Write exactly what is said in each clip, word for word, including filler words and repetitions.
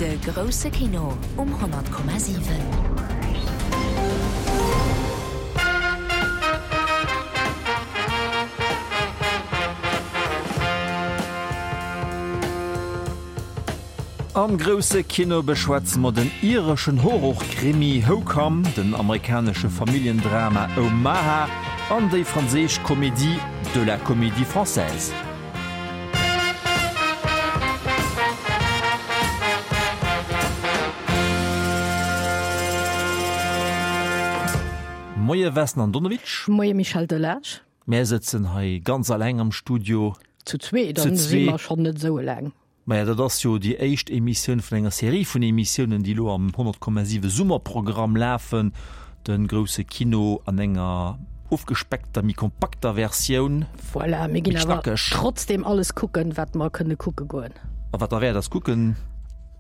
De grousse Kino um honnert Komma siwen. Am grousse Kino beschwätze mer den ireschen Horrorkrimi Hokum, den amerikanesche Familljendrama Omaha an déi franséisch Komedie De la Comédie Française. Moie Vesna Andonovic. Moie Michel Delage. Mär sëtzen hei ganz alleng am Studio. Zu zwee, dann si mer schonn net esou eleng. Maja, dat ass jo déi éischt Emissioun vun enger Serie vun Emissiounen, déi elo am honnert Komma siwe Summerprogramm lafen. De grousse Kino an enger ofgespeckter, méi kompakter Versioun. Voilà, mir ginn awer trotzdem alles kucken, wat mer kënne kucke goen. A wat derwäert ass kucken.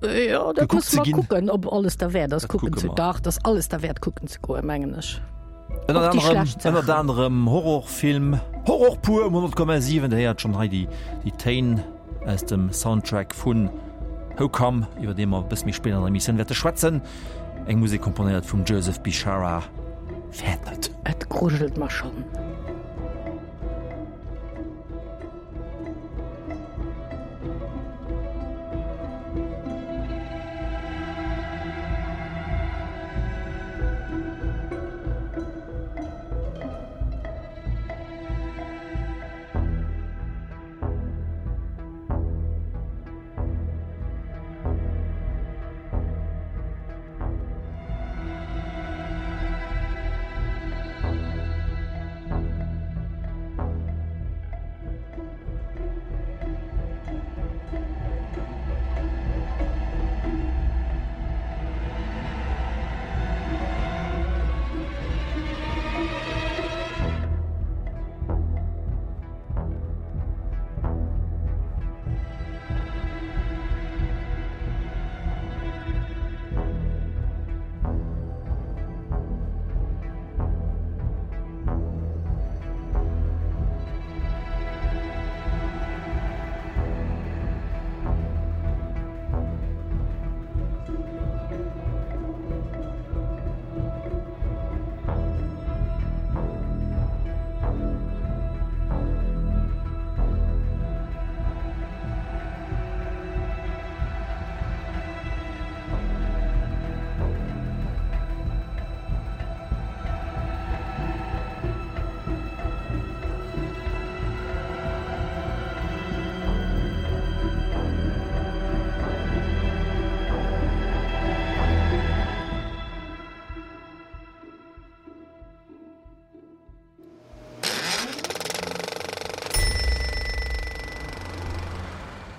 Jo, dat musse mer kucken, ob alles derwäert ass kucken ze. Dach, dat ass alles derwäert kucken ze goen, mengen ech. Ënnert anerem, ënnert anerem Horrorfilm, Horror pur um honnert Komma siwen. Dir héiert schonn hei déi, déi Téin aus dem Soundtrack vun Hokum, iwwer dee mer e bësse méi spéit an der Emissioun wäerte schwätzen. Eng Musek komponéiert vum Joseph Bishara. Fäert net. Et grujelt mer schonn.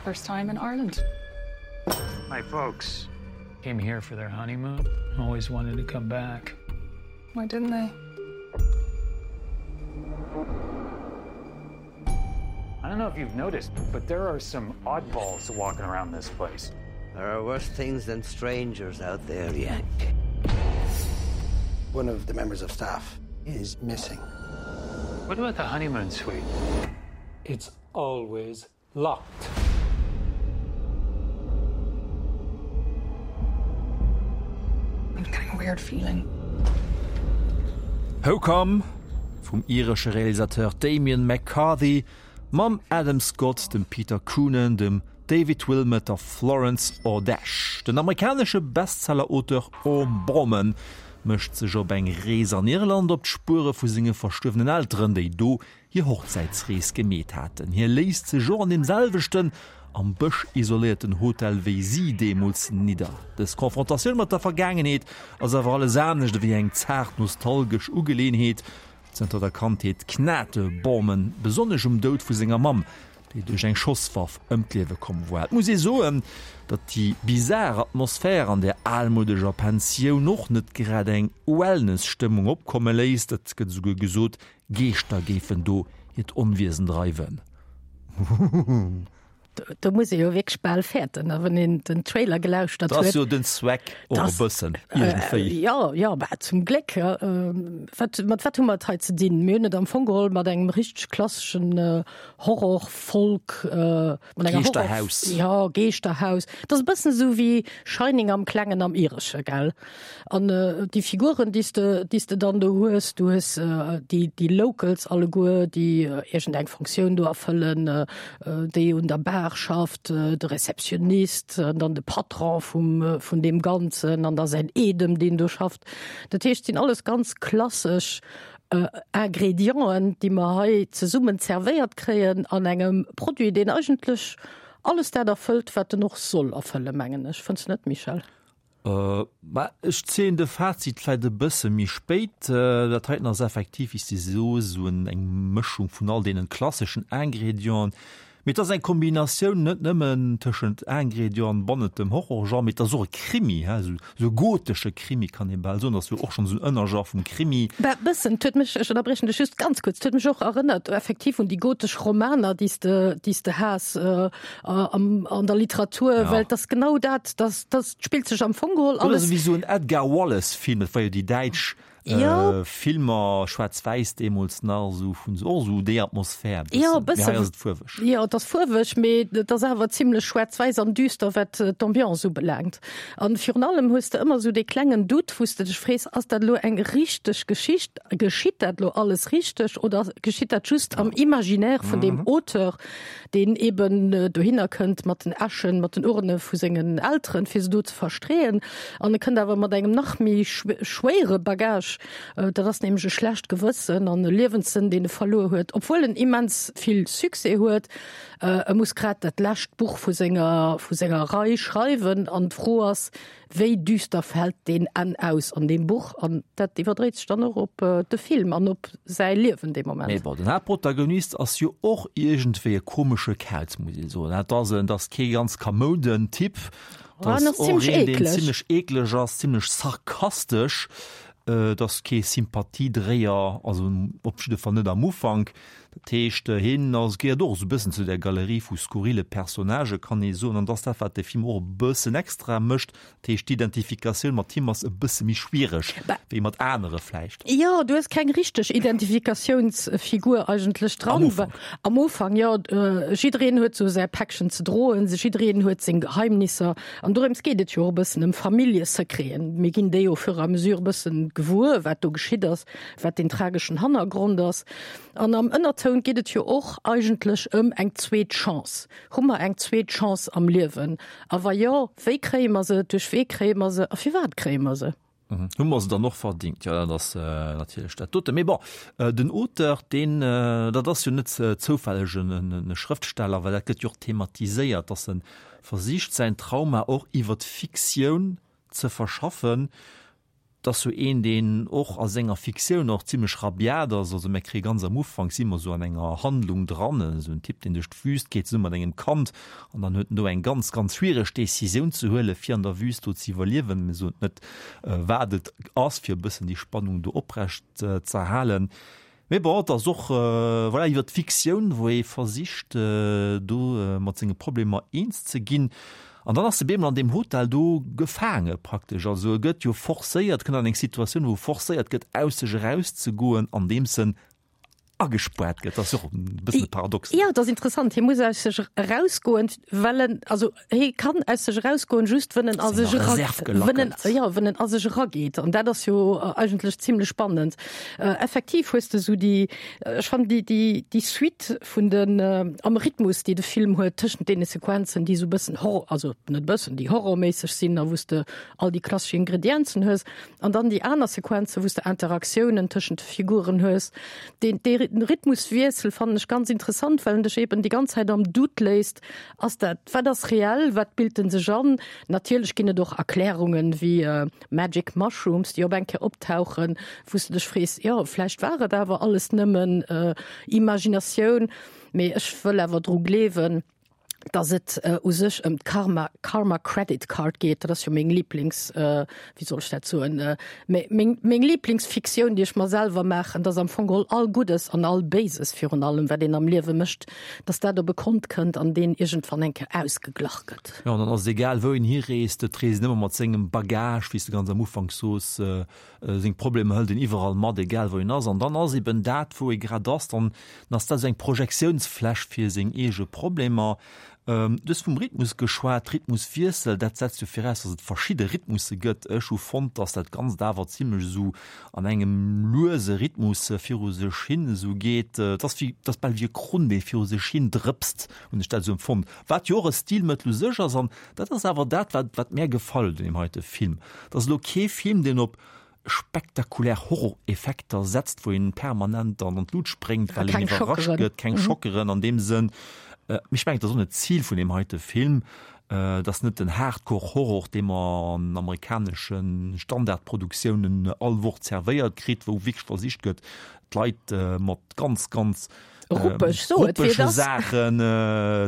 First time in Ireland. My folks came here for their honeymoon. Always wanted to come back. Why didn't they? I don't know if you've noticed, but there are some oddballs walking around this place. There are worse things than strangers out there, Yank. One of the members of staff is missing. What about the honeymoon suite? It's always locked. I'm getting a weird feeling. Hokum vum iresche Realisateur Damian McCarthy mam Adam Scott, dem Peter Coonan, dem David Wilmot a Florence Ordech. Den amerikanesche Bestseller-Auteur Orm Borman mécht sech op eng Rees an Irland op d'Spuere vu senge verstuerwenen Elteren, déi do hir Hochzäitsrees gemeet haten. Hie léisst sech och an deem selwechten, am Bësch isoléierten Hotel wéi si deemools nidder. Dës Konfrontatioun mat der Vergaangenheet ass awer alles anescht ewéi eng zaart nostalgesch Ugeleeënheet. Zënter der Kandheet knat de Borman besonnesch um Doud vu senger Mamm, déi duerch eng Schosswaff ëm d'Liewe komm war. Et muss ee soen, datt déi bizar Atmosphär an där almoudeger Pensioun och net grad eng Wellness-Stëmmung opkomme léisst. Et gëtt esouguer gesot, Geeschter géifen do hiert Onwiesen dreiwen. Do muss ee jo wierklech bal fäerten, a wann een den Trailer gelauschtert Dat ass huet. jo den Zweck och e Das, bëssen, äh, iergendwéi. jo, jo, bah, zum Gléck. Ja. Ähm, wat, mat wat hu mer et hei ze dinn? Mir hunn et am Fong geholl mat engem richteg klasseschen äh, Horror-Folk, äh, mat enger Horror, Geeschterhaus. ja, Geeschterhaus. Dat ass e bëssen esou wéi Shining am Klengen am Iresche, gell? An äh, déi Figuren, déi s de, déi s de dann do hues, du hues äh, déi, déi Locals alleguer, déi äh, iergendeng Funktioun do erfëllen, äh, äh, déi un der Bar schafft, äh, de Receptionist, an dann de Patron vum, äh, vun deem Ganzen, an da säin Eedem, deen do schafft. Dat heescht, sinn alles ganz klassesch äh, Ingredienten, déi mer hei zesummen zerwéiert kréien an engem Produit, deen eigentlech alles dat erfëllt, wat en och soll erfëllen, mengen ech. Fënns de net, Michel? Äh, ma ech zéien de Fazit vläit e bësse méi spéit. Äh, dat heiten ass effektiv, wéi s de soos, esou en eng Mëschung vun all deenen klasseschen Ingredienten. Mee et ass eng Kombinatioun net nëmmen tëschent Ingredienten bannent dem Horrorgenre, mee et ass och e Krimi, he, esou esou e gotesche Krimi kann ee bal soen. Dat ass jo och schonn esou en Ënnergenre vum Krimi. Bah, bëssen. Et huet mech, ech ënnerbriechen dech just ganz kuerz, et huet mech och erënnert effektiv un déi gotesch Romaner, déi s de, déi s de has am, an der Literatur, Ja. well et ass genau dat, dat, dat spillt sech am Fong geholl Oder alles. esou wéi esou en Edgar Wallace-Film, dat war jo déi däitsch Jo. Äh, Filmer schwaarz-wäiss deemools nach esou vun och esou déi Atmosphär Jo, bëssen. Mee hei bëssen. ass et fuerweg. Jo, et ass fuerweg, mee et ass awer zimlech schwaarz-wäiss an düster, wat äh, d'Ambiance ubelaangt. An virun allem hues de ëmmer esou dee klengen Doute, wou s de dech frees, ass dat elo eng richteg Geschicht? Geschitt dat elo alles richteg oder geschitt dat just am Imaginaire vun deem Auteur, deen eben äh, dohinner kënnt mat den Äschen, mat den Urne vu sengen Elteren, fir se do ze verstreeën. An e kënnt awer mat engem nach méi schwéiere Bagage, dat ass nämlech e schlecht Gewëssen an e Liewenssënn, deen e verluer huet, obwuel en immens vill Succès huet. E muss grad dat lescht Buch vu senger, vu senger Rei schreiwen an d'Fro ass, wéi düster fält deen Enn aus an deem Buch? An dat iwwerdréit sech dann och op de Film an op säi Liewen dee Moment. Mee bon, den Haaptprotagonist ass jo och iergendwéi e komesche Kauz, muss ee soen. Dat ass en, dat ass kee ganz kamouden Typ. Ah, Dat en ass ass och zimmlech een, deen eekleg. zimmlech eekleg ass, zimmlech sarkastesch. Et ass kee Sympathiedréier, also op jidde Fall net am Ufank. Dat heescht, hien ass, gehéiert och esou e bëssen zu der Galerie vu skurrile Personnagë, kann ee soen. An dat ass dat, wat de Film och e bëssen extra mécht. Dat heescht, d'Identifikatioun mat him ass e bësse méi schwiereg wéi mat anere vläicht. Jo, du hues keng richteg Identifikatiounsfigur eigentlech dran. Am Ufank. Am Ufank, jo. Jiddereen huet esou säi Päckchen ze droen, jiddereen huet seng Geheimnisser. An dorëms geet et jo och e bëssen, ëm Familljesecreten. Mir ginn déi au fur et à mesure e bëssen gewuer, wat do geschitt ass, wat den trageschen Hannergrond ass. An am Ënnertoun geet et jo och eigentlech ëm eng zweet Chance. Hu mer eng zweet Chance am Liewen? A wa jo, wéi kréie mer se, duerch wee kréie mer se a firwat kréie mer se? Hu mer se dann och verdingt? Jo, dat ass natierlech dat dote. Mee bon, den Auteur, deen, dat ass jo net zoufälleg e Schrëftsteller, well dat gëtt jo och thematiséiert, dass e versicht, säin Trauma och iwwer d'Fiktioun ze verschaffen. Et ass jo een, deen och a senger Fiktioun och zimlech rabiat ass. Also mir kréie ganz am Ufank, si mer esou an enger Handlung dran, esou en Typ, deen duerch d'Wüst geet zesumme mat engem Kand an dann huet en do eng ganz, ganz schwiereg Decisioun ze huelen, fir an der Wüst do ze iwwerliewen. Mir soen net, wat et ass, fir e bëssen déi Spannung do oprecht ze erhalen. Mee bon, et ass och, voilà, iwwer d'Fiktioun, wou ee versicht, do mat senge Problemer eens ze ginn. An dann ass e bemol an deem Hotel do gefaange praktesch. Also e gëtt jo forcéiert, kënnt an eng Situatioun, wou e forcéiert gëtt, aus sech erauszegoen, andeems en agespaart gëtt. Dat ass jo och e bëssen e Paradox. Jo, dat ass interessant. Hie muss aus sech erausgoen, well en, also hie kann aus sech erausgoen, just wënn en a sech Senger era, Reserv wënn en, gelackelt. jo, wënn en a sech erageet. An dat ass jo eigentlech zimlech spannend. Effektiv hues de esou déi, ech fannen déi, déi, déi Suite vun den, am Rhythmus, déi de Film huet tëschent deene Sequenzen, déi esou bëssen Horror, also net bëssen, déi horrorméisseg sinn a wou s de all déi klassesch Ingredienzen hues, an dann déi aner Sequenzen, wou s de Interaktiounen tëschent de Figuren hues. Deen, dee Rhythmuswiessel fannen ech ganz interessant, well en dech eben déi ganz Zäit am Doute léisst, ass dat, wat ass reell, wat bilt en sech an? Natierlech ginn et och Erklärungen wéi Magic Mushrooms, déi op eng Kéier optauchen, wou s de dech frees, jo, vläicht war et awer alles nëmmen Imaginatioun, mee ech wëll awer dru gleewen, Dass et u sech ëm d'Karma, Karma Credit Card geet, dat ass jo meng Lieblings, wéi soll ech dat soen, meng, meng Lieblingsfiktioun, déi ech mer selwer maachen, dass am Fong geholl all Guddes an all Béises virun allem, wat een am Liewe mécht, dass dat op e Kont kënnt an deen iergendwann eng Kéier ausgeglach gëtt. Jo, an dann ass et egal, wou een hireest, et reest een ëmmer mat sengem Bagage, wéi s de ganz am Ufank soos, seng Problemer hëlt een iwwerall mat, egal wou een ass. An dann ass eben dat, wou ee grad ass, dann ass dat esou eng Projektiounsfläch fir seng eege Problemer. Du hues vum Rhythmus geschwat, Rhythmuswiessel, dat setzt jo viraus, datt et verschidde Rhythmusse gëtt. Ech hu fonnt, datt dat Ganzt awer zimlech esou an engem luese Rhythmus viru sech hin esou geet. Et ass wéi, et ass bal wéi e Krunn, dee viru sech hin drëpst, hunn ech dat esou empfonnt. Wat jo och e Stilmëttel u sech ass an dat ass awer dat, wat, wat mär gefall huet un deem heite Film. Et ass elo kee Film, deen op spektakulär Horror-Effekter setzt, wou een permanent dann an d'Lut spréngt, well een iwwerrascht gëtt, keng Schockeren an deem Sënn. Mee ech mengen, et ass och net d'Zil vun deem heite Film. Et ass net den Hardcore-Horror, dee mer an amerikanesche Standardproduktiounen all Woch zervéiert kritt, wou wierklech versicht gëtt, d'Leit mat ganz, ganz Ruppeg, so et wier das. Saachen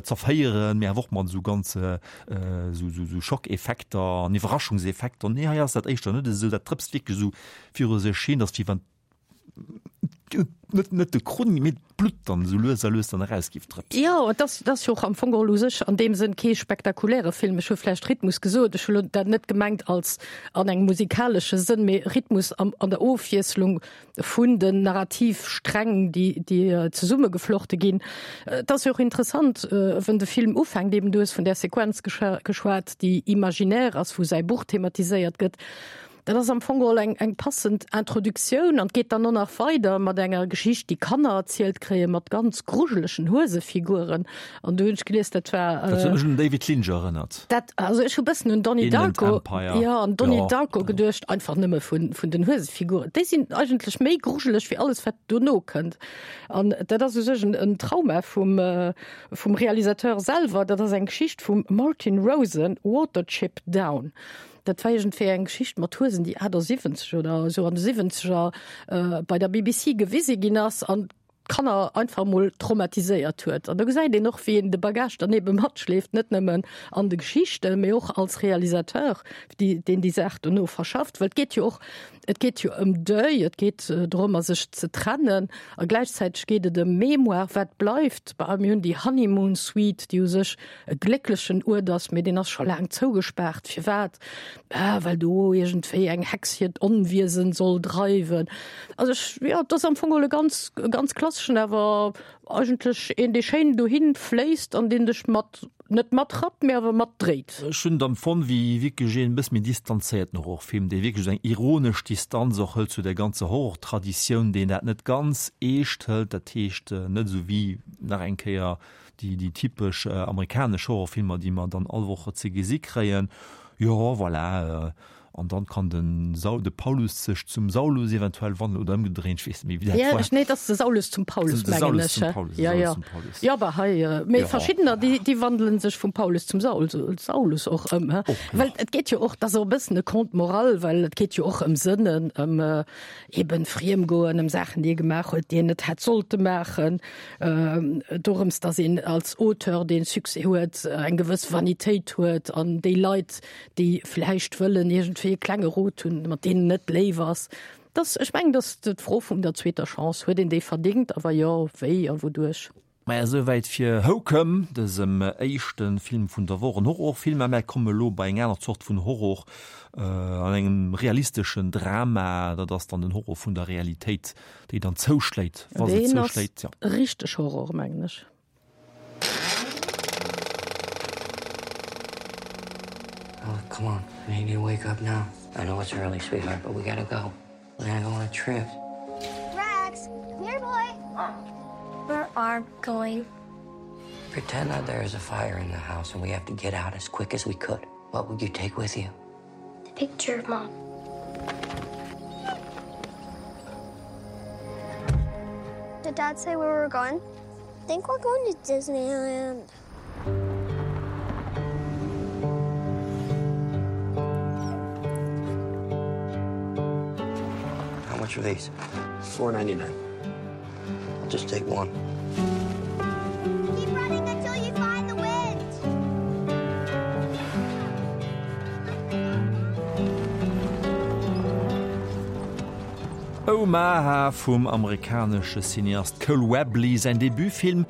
zerféieren, mee awer och mat esou ganz esou Schockeffekter an Iwwerraschungseffekter. Nee, hei ass dat éischter net esou, dat drëpst wierklech esou viru sech hin, dass wéi wann net net de Krunn, mee d'Blutt dann esou lues a lues dann eraus géif drëpsen. Jo, et ass, et ass jo och am Fong geholl u sech an deem Sënn kee spektakuläre Film. Ech hu vläicht Rhythmus gesot, ech hu lo dat net gemengt als an engem musikalesche Sënn, mee Rhythmus am, an der Ofwiesslung vun den Narrativsträng, déi, déi zesummegeflochte ginn. Et ass jo och interessant, wenn de Film ufänkt, eben du hues vun där Sequenz geschwat, déi imaginär ass, wou säi Buch thematiséiert gëtt. Dat ass am Fong geholl eng, eng passend Introduktioun an geet dann och nach weider mat enger Geschicht, déi Kanner erzielt kréien, mat ganz grujelegen Huesefiguren. An do hunn ech gelies, dat war. Dat huet mech un den David Lynch erënnert. Dat, also ech hu bëssen un Donnie Inland Darko, Empire. jo, an Donnie Jo. Darko geduecht, einfach nëmme vun, vun den Huesefiguren. Déi sinn eigentlech méi grujeleg wéi alles, wat dono kënnt. An dat ass u sech en, en Trauma vum, vum Realisateur selwer. Dat ass eng Geschicht vum Martin Rosen, Watership Down. Dat war iergendwéi eng Geschicht mat Huesen, déi achtasiwwenzeg oder esou an de Siwwenzeger bei der B B C gewise ginn ass an d'Kanner einfach emol traumatiséiert huet. An do gesäit een och, wéi een de Bagage dann ebe matschleeft, net nëmmen an de Geschichten, mee och als Realisateur, déi, deen déi Saach dono verschafft. Well et geet jo och, et geet jo ëm Deuil, et geet drëmmer, sech ze trennen a gläichzäiteg geet et ëm Mémoire, wat bleift. Bah, mir hunn déi Honeymoon Suite, déi u sech e glécklechen Uert ass, mee deen ass scho laang zougespaart. Firwat? Ah, well do iergendwéi eng Hex hiert Onwiesen soll dreiwen. Also ech, jo, et ass am Fong geholl e ganz, e ganz klasseschen, awer eigentlech een, dee schéin dohin fléisst an deen dech mat, net matrappt, mee awer matdréit. Ech hunn et empfonnt wéi wierklech een e bësse méi distanzéierten Horrorfilm, dee wierklech esou eng ironesch Distanz och hëlt zu der ganzer Horrortraditioun, deen dat net ganz eescht hëlt, dat heescht net esou wéi nach eng Kéier déi, déi typesch amerikanesch Horrorfilmer, déi mer dann all Woch ze gesi kréien. Jo, voilà. An dann kann den Saul, de Paulus sech zum Saulus eventuell wandelen oder ëmgedréint, ech weess net méi, wéi dat Ja, war. ech, nee, et ass de Saulus zum Paulus, De mengen Saulus ech. zum Paulus, de Ja, Saulus ja. zum Paulus. Ja, aber hei, mee Ja. verschiddener, déi, déi wandelen sech vum Paulus zum Saul, Saulus och ëm, hä? Och nach. Well et geet jo och, dat ass och e bëssen e Conte moral, well et geet jo och ëm Sënnen, ëm eben Friemgoen, ëm Saachen, déi ee gemaach huet, déi een net hätt sollte maachen, dorëms, dass een als Auteur, deen Succès huet, eng gewëss Vanitéit huet an déi Leit, déi vläicht wëllen iergendwéi e klenge Rot hunn, mat deenen net léif ass. Dass, ech mengen, dass d'Fro vum der zweeter Chance, huet een déi verdéngt a wa jo, wéi a wouduerch? Maja, esouwäit fir Hokum, dësem éischte Film vun der Woch, en Horrorfilm. Mä mär komme lo bei eng aner Zort vun Horror, an engem realisteschen Drama. Dat ass dann den Horror vun der Realitéit, déi dann zouschléit, wa se Deen ass zouschléit, jo. richteg Horror, mengen ech. Oh, come on. I need to wake up now. I know it's early, sweetheart, but we gotta go. We're gonna go on a trip. Rex, come here, boy. Where are we going? Pretend that there is a fire in the house and we have to get out as quick as we could. What would you take with you? The picture of mom. Did Dad say where we're going? I think we're going to Disneyland. How much are these? Four ninety nine. I'll just take one. Keep running until you find the wind. Omaha vum amerikanesche Cineast Cole Webley säin Debutfilm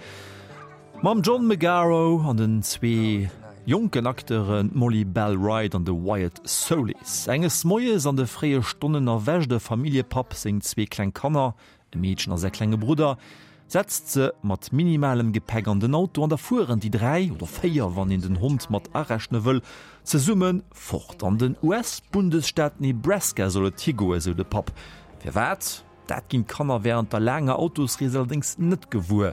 mam John Magaro an den zwee jonken Acteuren Molly Belle Wright an de Wyatt Solis. Enges Moies an de fréie Stonnen erwächt e Familljepapp seng zwee kleng Kanner, e Meedchen a säi klenge Brudder, setzt se mat minimalem Gepäck an den Auto an da fueren déi dräi, oder véier, wann een den Hond mat arechne wëll, zesumme fort. An den US-Bundesstaat Nebraska soll et higoen, sou de Papp. Firwat? Dat ginn d'Kanner wärend der laanger Autosrees allerdéngs net gewuer.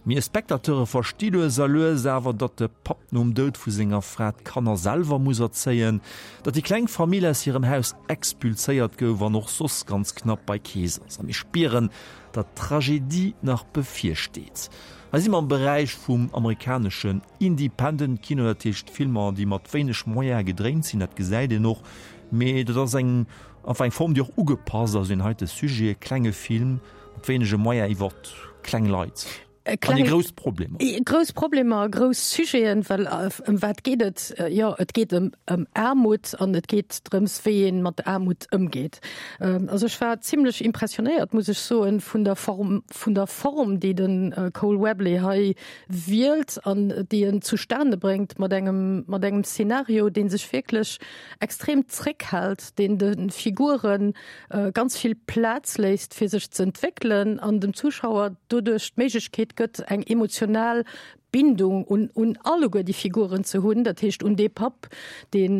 Mir Spectateure versti lues a lues awer, datt de Papp nom Doud vu senger Fra d'Kanner selwer muss erzéien, datt déi kleng Famill aus hirem Haus expulséiert gouf an och soss ganz knapp bei Kees ass. A mir spieren, datt d'Tragedie nach bevirsteet. Hei si mer am Beräich vum amerikaneschen Independent Kino, dat heescht Filmer, déi mat wéineg Moyene gedréint sinn. Dat gesäit een och, mee dat ass eng enfin eng Form, déi och ugepasst ass un heite Sujet, klenge Film mat wéinege Moyen iwwer kleng Leit. An déi grouss Problemer. Grouss Problemer, grouss Sujeten, well ëm wat geet et? Jo, et geet ëm ëm Aarmut an et geet drëms, wéi een mat der Aarmut ëmgeet. Also ech war zimlech impressionéiert, muss ech soen, vun der Form, vun der Form, déi de Cole Webley hei wielt an déi en zustane bréngt mat engem, mat engem Szenario, dee sech wierklech extrem zréckhält, deen de Figuren ganz vill Plaz léisst, fir sech ze entwéckelen an dem Zuschauer doduerch d'Méiglechkeet gëtt, eng emotional Bindung un, un alleguer déi Figuren ze hunn, dat heescht un dee Papp, deen,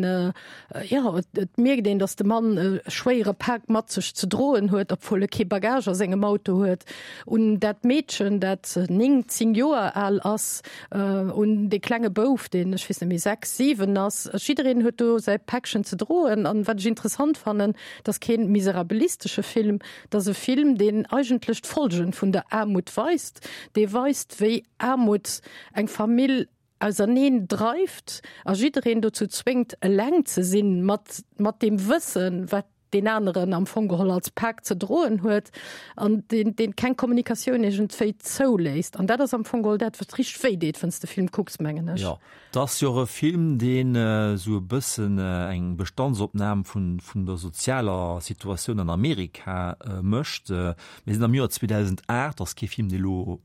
jo, et mierkt een, datt de Mann e schwéiere Pak mat sech ze droen huet, obwuel e kee Bagage a sengem Auto huet, un dat Meedchen, dat néng, zéng Joer al ass, un dee klenge Bouf, deen, ech weess net méi, sechs, siwen ass. Jiddereen huet do säi Päckchen ze droen. An wat ech interessant fannen, et ass kee miserabilistesche Film, et ass e Film, deen eigentlech d'Folgen vun der Aarmut weist, dee weist, wéi Aarmut eng Famill auserneen dreift a jiddereen dozou zwéngt, eleng ze sinn mat, mat deem Wëssen, wat deen aneren am Fong geholl als Pak ze droen huet an deen, deen keng Kommunikatioun iergendwéi zouléisst. An dat ass am Fong geholl dat, wat richteg wéi deet, wann s de Film kucks, mengen ech. Jo, et ass jo och e Film, deen esou e bëssen eng Bestandsopnam vun, vun der sozialer Situatioun an Amerika mécht. Mir sinn am Joer zweedausendacht, ass kee Film, dee lo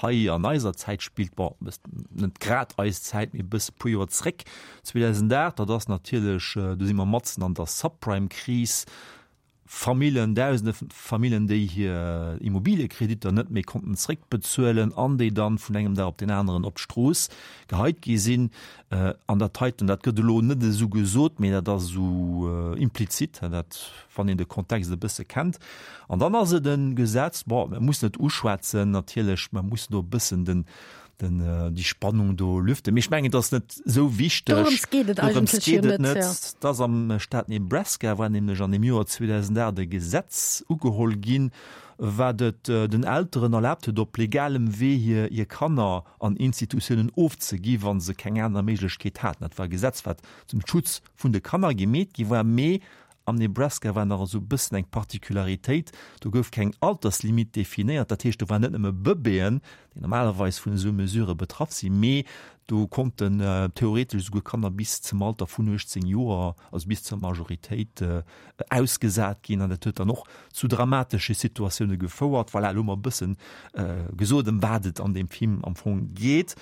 hei an eiser Zäit spillt, bon, net grad eis Zäit, mee e bësse puer Joer zréck, zweedausendacht, dat ass natierlech, do si mer matzen an der Subprime-Kris, Famillen, dausende Famillen, déi hir Immobiliekreditter net méi konnten zréckbezuelen an déi dann vun engem Dag op deen aneren op d'Strooss geheit gi sinn. An dat heiten, dat gëtt elo net esou gesot, mee dat ass esou implizit, dat, wann een de Kontext e bësse kennt. An dann ass et e Gesetz, bon, mer mussen et uschwätzen natierlech, mer mussen do e bëssen den, den, déi Spannung do lüften, mee ech mengen, et ass net esou wichteg. Dorëms geet et Dorëms eigentlech jo geet et net, net. ja. Et ass am Staat Nebraska war nämlech an dem Joer zweedausendacht e Gesetz ugeholl ginn, wat et den Elteren erlaabt huet, op legalem Wee hir, hir Kanner an Institutiounen ofzegi wa se keng aner Méiglechkeet haten. Dat war e Gesetz, wat zum Schutz vun de Kanner gemeet gi war, mee am Nebraska war nach esou e bëssen eng Particularitéit, do gouf keng Alterslimit definéiert. Dat heescht, do waren net nëmme Bëbeeën, déi normalerweis vun esou Mesurë betraff sinn, mee do konnten theoretesch esouguer Kanner bis zum Alter vun uechtzéng Joer, also bis zur Majoritéit, ausgesat ginn. An dat huet dann och zu dramatesche Situatioune gefouert. Voilà, elo hu mer e bëssen gesot, ëm wat et an deem Film am Fong geet.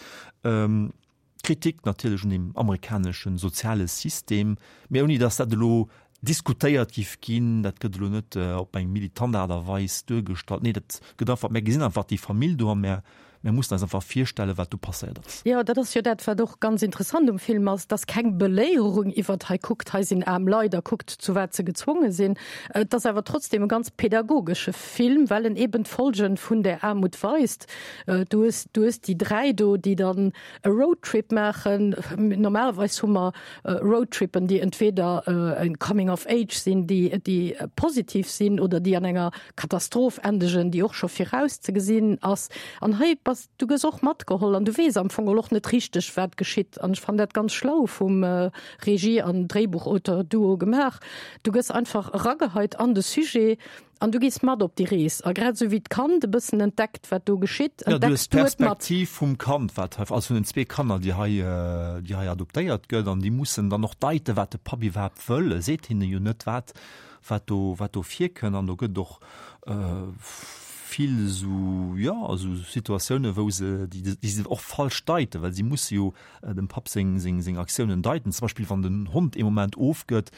Kritik natierlech un dem amerikanesche soziale System, mee ouni datt dat elo diskutéiert giff ginn. Dat gëtt elo net op eng militant Aart a Weis duergestallt. Nee, dat gëtt einfach, mär gesinn einfach déi Famill do a mär, mär mussen eis einfach virstellen, wat do passéiert ass. Jo, dat ass jo dat, wat och ganz interessant um Film ass, dass keng Beléierung iwwert hei, kuckt, hei sinn aarm Leit a kuckt, zu wat se gezwonge sinn. Et ass awer trotzdem e ganz pädagogesche Film, well en eben d'Folgen vun där Aarmut weist. Du hues, du hues déi dräi do, déi dann e Roadtrip maachen. Normalerweis hu mer Roadtrippen, déi entweder e Coming of Age sinn, déi, déi positiv sinn oder déi an enger Katastroph endegen, déi och scho virauszegesinn ass. An hei ass, du gëss och matgeholl an du weess am Fong och net richteg, wat geschitt. An ech fannen dat ganz schlau vum Regie an Dréibuchauteur-Duo gemaach. Du gëss einfach erageheit an de Sujet an du gees mat op déi Rees. A grad esou wéi d'Kand e bëssen entdeckt, wat do geschitt, Ja, du entdecks hues du et mat. d'Perspektiv vum Kand, wat hei, also vun den zwee Kanner, déi hei, déi hei adoptéiert gëtt, an déi mussen dann och deiten, wat de Papp iwwerhaapt wëll. E seet hinne jo net, wat, wat do, wat do virkënnt. An do gëtt et och vill esou, jo, esou Situatiounen, wou se, déi, déi se och falsch deiten, well si musse jo dem Papp seng, seng, seng Aktiounen deiten. Zum Beispill wann den Hond ee Moment ofgëtt,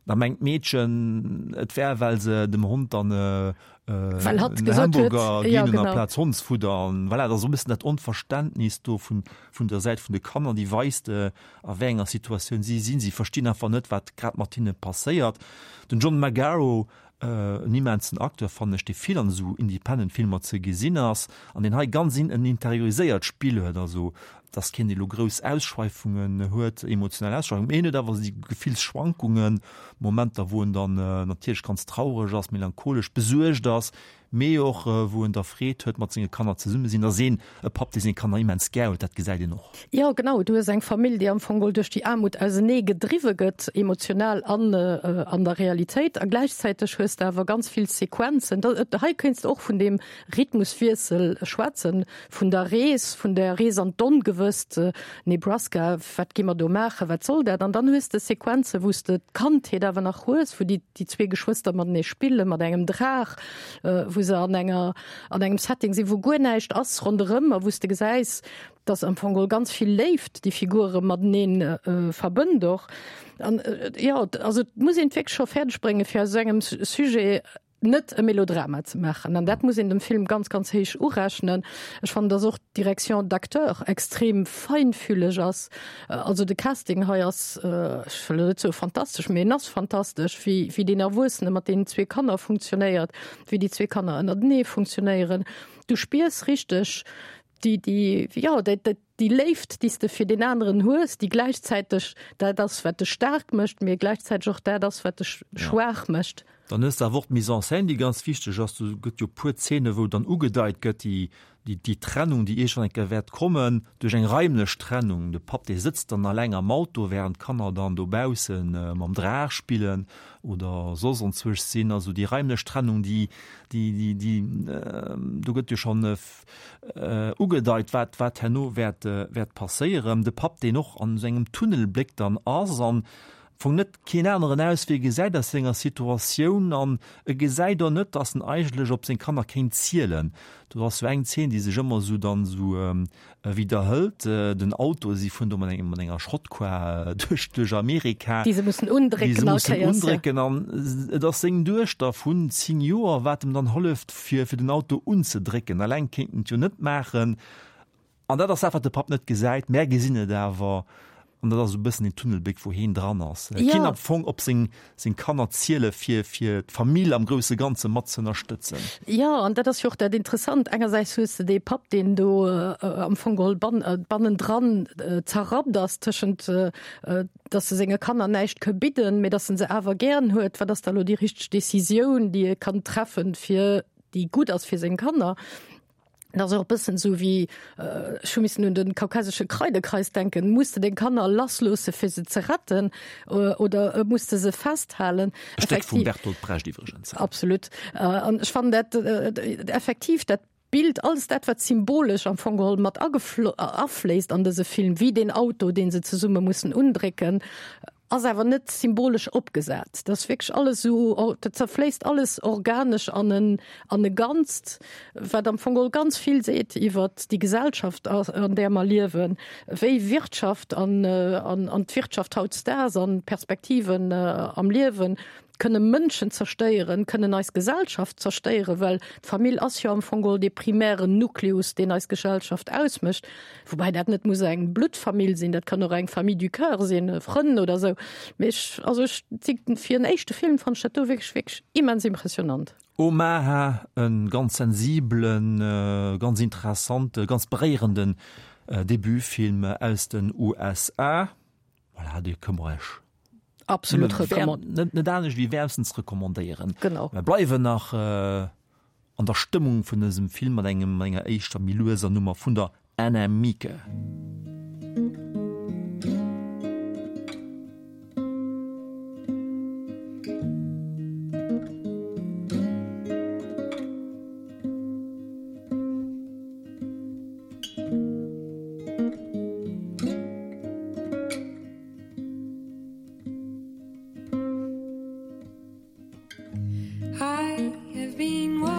da mengt d'Meedchen, et wär, well se dem Hond dann Well hatt en gesot huet, Hamburger ja, ginn hunn genau. amplaz Hondsfudder. An voilà, et ass esou e bëssen dat Onverständnis do vun, vun der Säit vun de Kanner, déi weist, a wéi enger Situatioun si sinn. Si verstinn einfach net, wat grad mat hinne passéiert. Den John Magaro, en immensen Acteur, fannen ech, dee vill an esou Independent-Filmer ze gesinn ass an deen hei ganz en interioriséiert Spill huet, also dass keen elo grouss Ausschweifungen huet, emotional Ausschweifungen, mee en huet awer déi Gefillsschwankungen, Momenter, wou en dann natierlech ganz traureg ass, melancholesch, besuergt ass, mee och wou en da Freed huet mat senge Kanner zesumme sinn. Ass een e Papp, dee seng Kanner immens gär huet, dat gesäit een och. Jo, genau, du hues eng Famill, déi am Fong geholl duerch déi Aarmut ausenee gedriwwe gëtt, emotional an an der Realitéit. A gläichzäiteg hues de awer ganz vill Sequenzen, da hei kéints de och vun deem Rhythmuswiessel schwätzen, vun der Rees, vun der Rees an d'Ongewësst, Nebraska, wat gi mer do maachen, wat soll dat? An dann hues de Sequenzen, wou s de d'Kandheet awer nach hues, wou déi déi zwee Geschwëster matenee spillen, mat engem Draach, wou se an enger, an engem Setting sinn, wou guer näischt ass ronderëm a wou s de gesäis, dass am Fong geholl ganz vill Léift déi Figure matenee verbënnt och. An jo, also et muss een et wierklech scho fäerdeg bréngen, fir aus esou engem Sujet net e Melodrama ze maachen. An dat muss een dem Film ganz, ganz héich urechnen. Ech fannen, dass och d'Direction d'acteurs extrem feinfühleg ass. Also de Casting hei ass, ech wëll elo net soe fantastesch, mee en ass fantastesch, wéi, wéi deen Erwuessene mat deenen zwee Kanner funktionéiert, wéi déi zwee Kanner ënnertenee funktionéieren. Du spiers richteg déi, déi, jo, déi, déi, déi Léift, déi s de fir deen aneren hues, déi gläichzäiteg dat ass, wat dech staark mécht, mee gläichzäiteg och dat ass, wat dech schwaach mécht. Dann hues de awer och d'Mise en scène, déi ganz wichteg ass. Do gëtt jo e puer Zeene wou dann ugedeit gëtt, déi, déi, déi Trennung, déi iergendwann eng Kéier wäert kommen, duerch eng raimlech Trennung. De Papp, dee sëtzt dann alleng am Auto, während d'Kanner dann dobausse mam Draach spillen oder soss anzwousch sinn. Also déi raimlech Trennung, déi, déi, déi, déi, do gëtt jo schonn ugedeit, wat, wat herno wäert, wäert passéieren. De Papp, deen och an esou engem Tunnelbléck dann ass an Fong net keen aneren Auswee gesäit aus senger Situatioun an e gesäit och net, datt en eigentlech op seng Kanner kéint zielen. Do ass sou eng Zeen, déi sech ëmmer sou dann sou widderhëlt, den Auto, si fueren do mat engem, mat enger Schrottquar duerch, duerch Amerika, Déi se mussen déi undrécken se all mussen Kéiers, ja. undrécken an et ass seng Duechter vun zéng Joer, wat em dann hëlleft fir, fir den Auto unzedrécken. Alleng kéint en et jo net maachen. An dat ass dat, wat de Papp net gesäit. Mär gesinn et awer. An dat ass esou e bëssen deen Tunnelbléck, wou heen dran ass. E Ja. kinnt am Fong op seng, seng Kanner ziele fir, fir d'Famill am grousse Ganze mat z'ënnerstëtzen. Jo, an dat ass jo och dat Interessant. Engersäits hues de dee Papp, deen do am Fong geholl ban, bannendran zerrappt ass tëschent, dass e senge Kanner näischt ka bidden, mee dass en se awer gären huet. Wat ass da elo déi richteg Decisioun, déi e kann treffen, fir, déi gutt ass fir seng Kanner? Dat ass och e bëssen esou wéi, ech hu missen un de kaukasesche Kreidekreis denken, muss de deng Kanner lassloosse fir se ze retten oder muss de se festhalen? E Stéck vum Bertolt Brecht iwwregens. Absolut. An ech fannen dat effektiv dat Bild, alles dat wat symbolesch am Fong geholl mat afléisst an dëse Film, wéi deen Auto, dee se zesumme mussen undrécken, ass awer net symbolesch opgesat. Dat ass wierklech alles esou, dat zerfléisst alles organesch an en, an e Ganzt, wat am Fong geholl ganz vill seet iwwert déi Gesellschaft, an där mer liewen, wéi Wirtschaft an, an, an d'Wirtschaft hautdesdaags an d'Perspektiven am Liewen kënne Mënschen zerstéieren, kënnen eis Gesellschaft zerstéieren, well d'Famill ass jo am Fong geholl dee primären Nukleus, deen eis Gesellschaft ausmécht, woubäi dat net muss eng Bluttfamill sinn, dat kann och eng Famille du cœur sinn, Frënn oder esou. Mee ech, also ech, fir en éischte Film fannen ech dat do wierklech, wierklech immens impressionant. Omaha, e ganz sensibelen, ganz interessante, ganz beréierenden Debutfilm aus den USA. Voilà, dee kënne mer Iech Absolut recommand. Net, net anescht wéi wäermstens recommandéieren. Genau. Mer bleiwen nach äh, an der Stëmmung vun dësem Film mat engem enger éischter méi lueser Nummer vun der Anna Mieke. I have been wandering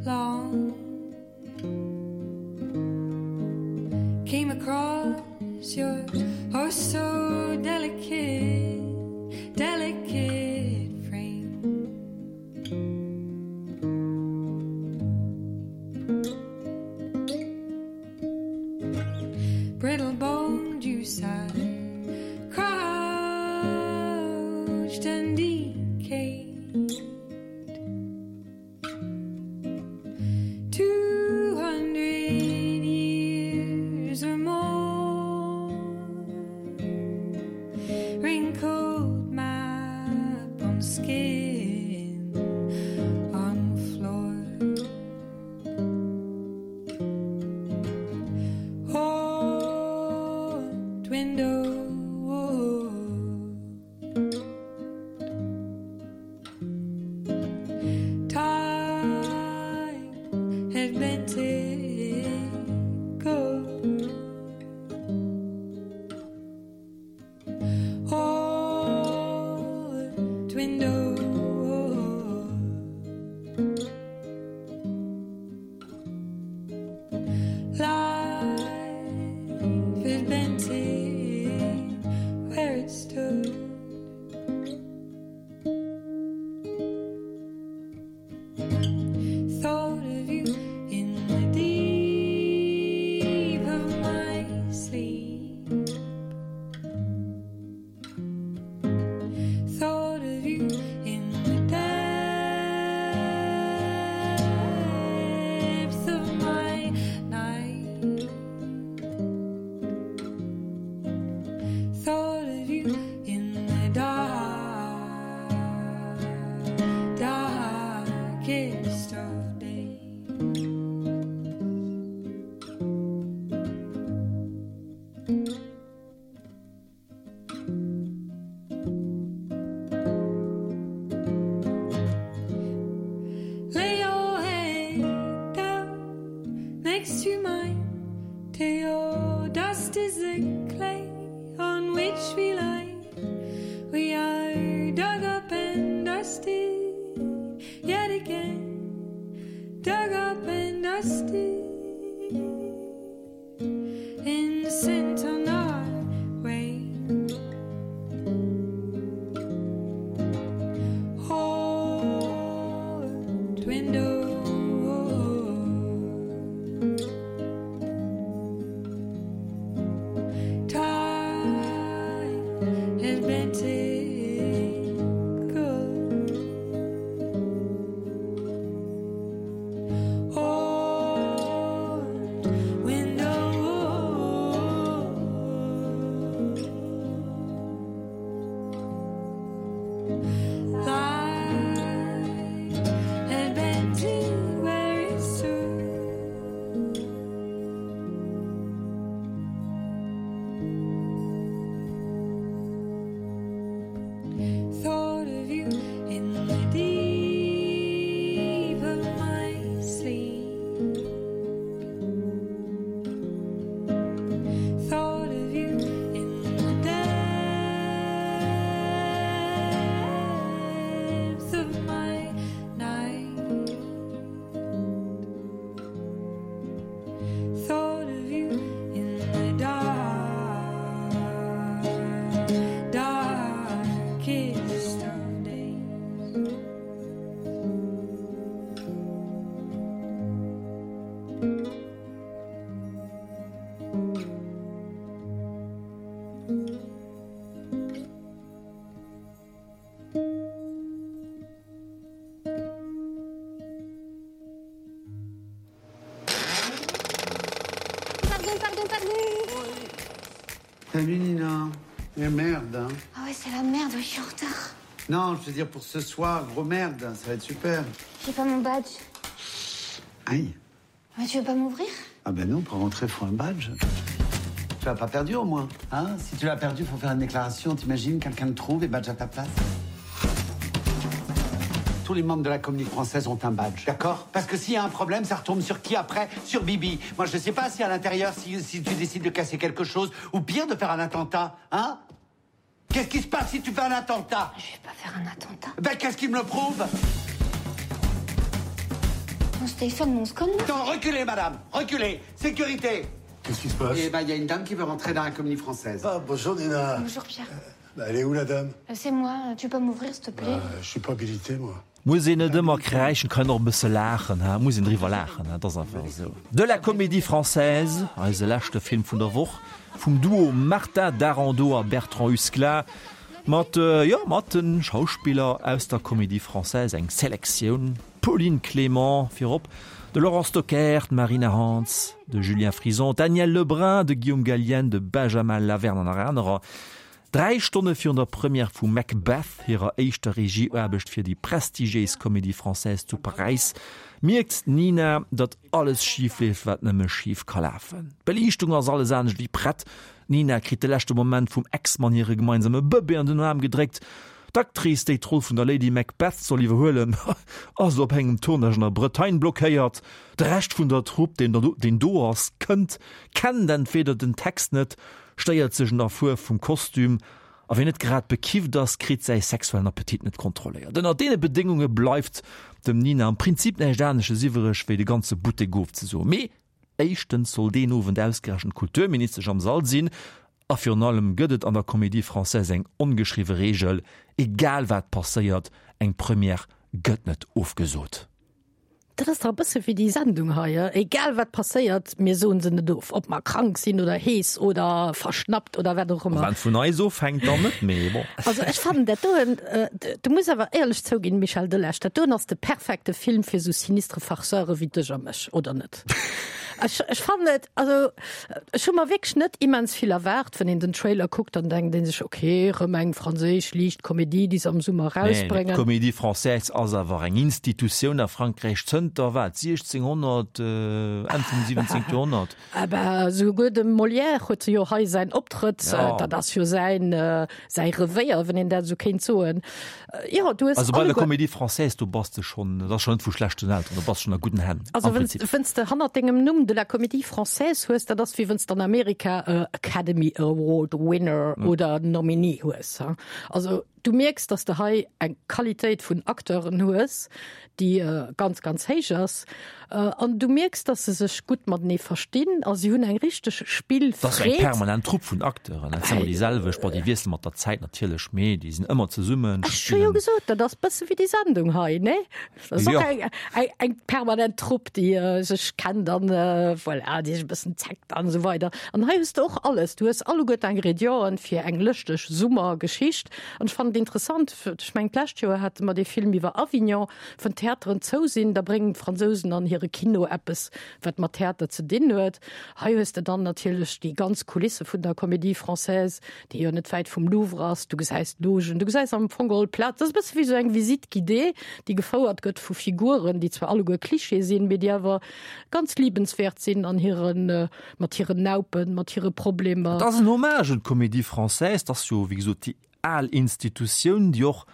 long. Came across your oh so delicate, delicate frame. Brittle boned you sat crouched and decayed. Two hundred years or more, wrinkled map on skin on floor. Old window. Time had bent it gold. Old window. Life had bent it where it stood. Thought of you in the deep of my sleep. Thought of you in the depth of my night. Thought of you in the dark, darkest of days. Lay your head down next to mine till your dust is the clay on which we lie. We are dug up and dusty yet again, dug up and dusty, and sent on our way. Old window. Time has bent it good. Old window. Life had bent it where it stood. Thought of you in the deep of my sleep. Thought of you in the depth of my night. Thought of you in the dark, darkest of days. Pardon, pardon, pardon Salut Nina. Mais merde, hein. Ah ouais, c'est la merde, je suis en retard. Non, je veux dire pour ce soir, gros merde, ça va être super. J'ai pas mon badge. Aïe. Mais tu veux pas m'ouvrir Ah ben non, pour rentrer, faut un badge. Tu l'as pas perdu au moins, hein Si tu l'as perdu, faut faire une déclaration. T'imagines, quelqu'un te trouve et badge à ta place Tous les membres de la Comédie française ont un badge, d'accord Parce que s'il y a un problème, ça retombe sur qui après Sur Bibi. Moi, je sais pas si à l'intérieur, si, si tu décides de casser quelque chose, ou pire, de faire un attentat, hein Qu'est-ce qui se passe si tu fais un attentat Je vais pas faire un attentat. Ben, qu'est-ce qui me le prouve On se téléphone, mais on se connaît. Attends, reculez, madame Reculez Sécurité Qu'est-ce qui se passe Eh ben, il y a une dame qui veut rentrer dans la Comédie française. Ah, bonjour Nina. Bonjour Pierre. Bah, elle est où la dame Euh, C'est moi, tu peux m'ouvrir s'il te plaît euh, Je suis pas habilité, moi. Muss een net ëmmer kräischen, kann och e bësse laachen, ha, muss een driwwer laachen, ha, dat ass einfach esou. De la Comédie Française, eise leschte Film vun der Woch, vum Duo Martin Darondeau a Bertrand Husklah, mat, jo, mat de Schauspiller aus der Comédie Française, eng Selektioun, Pauline Clément virop, de Laurent Stocker, d'Marina Hands, de Julien Frison, d'Danièle Lebrun, de Guillaume Gallienne, de Benjamin Lavernhe an nach anerer. Dräi Stonne virun der Première vu Macbeth, hirer éischter Regieaarbecht fir déi prestigiéis Comédie Française zu Paräis, mierkt d'Nina, datt alles schif leeft, wat nëmme schif ka lafen. D'Beliichtung ass alles anescht wéi prett, d'Nina kritt de leschte Moment vum Ex-Mann hire gemeinsame Bëbee an den Aarm gedréckt, d'Actrice, déi d'Roll vun der Lady Macbeth soll iwwerhuelen, ass op engem Tournage an der Bretagne blockéiert, de Rescht vun der Trupp, deen do ass, kënnt, kennt entweder den Text net, stéiert sech un der Fuerf vum Kostüm, a wien net grad bekifft ass, kritt säi sexuellen Appetit net kontrolléiert. Ënner deene Bedéngunge bleift dem Nina am Prinzip näischt anesches iwwereg, wéi de ganze Buttek ofzesoen. Mee éischtens soll deen Owend ausgerechent d'Kulturministesch am Sall sinn, a virun allem gëtt et an der Comédie Française eng ongeschriwwe Reegel, Egal wat passéiert, eng Première gëtt net ofgesot. Dat ass dach e bësse wéi déi Sendung hei, egal wat passéiert, mir soen se net of, ob mer krank sinn oder hees oder verschnappt oder wat och ëmmer. Wann et vun eis ofhänkt, dann net, mee bon. Also ech fannen dat doen, du muss awer éierlech zouginn, Michel Delage, dat doen ass de perfekte Film fir sou sinistre Farceure wéi dech a mech, oder net? Ech, ech fannen et, also ech hu mer wierklech net immens vill erwaart. Wann een den Trailer kuckt, dann denkt een sech, ok, rëm eng franséisch liicht Komedie, déi se am Summer Nee, erausbréngen. d'Comédie Française ass awer eng Institutioun a Frankräich zënter wat, siechzénghonnert, Enn vum siwwenzéngte Joerhonnert. Aber souguer de Molière huet jo hei säin Optrëtt, Ja. dat ass jo säin, säi Revéier, wann een dat esou kéint soen. Jo, du hues Also bei der alleguer. Comédie Française, do bass de schonn, dat ass schonn net vu schlechten Elteren, do bass de schonn a gudden Hänn, Also am wenn's, Prinzip. wenn's de hannert dengem Numm de la Comédie Française hues, dat ass wéi wenn's de an Amerika e Academy Award Winner oder Nominee hues. Also du mierks, dass de hei eng Qualitéit vun Acteuren hues, déi ganz, ganz héich ass. An du mierks, dass se sech gutt matenee verstinn a si hunn eng richteg Dat ass eng Spillfreed. permanent Trupp vun Acteuren, dat sinn ëmmer déi selwecht. Bon, déi wiessele mat der Zäit natierlech, mee déi sinn ëmmer zesummen, Ech hu jo spillen. gesot, dat ass bësse wéi déi Sendung hei, nee? Dat ass och Jo. eng, eng, eng permanent Trupp, déi sech kennt an, voilà, déi sech e bëssen zeckt an esou weider. An hei hues de och alles, du hues alleguer d'Ingredienten fir eng lëschteg Summergeschicht. An ech fannen et interessant, ech mengen d'lescht Joer hate mer dee Film iwwer Avignon, wann d'Theateren zou sinn, da bréngen d'Fransousen an hire Kino eppes, wat mat Theater ze dinn huet. Hei hues de dann natierlech déi ganz Kulisse vun der Comédie Française, déi jo net wäit vum Louvre ass, du gesäis d'Logen, du gesäis am Fong geholl d'Plaz. Dat ass e bësse wéi esou eng Visite guidée, déi gefouert gëtt vu Figuren, déi zwar alleguer Klischee sinn, mee déi awer ganz liebenswäert sinn an hiren, mat hiren Naupen, mat hire Problemer. Et ass en Hommage un d'Comédie Française, dat ass jo, wéi gesot, déi al Institutioun, déi och,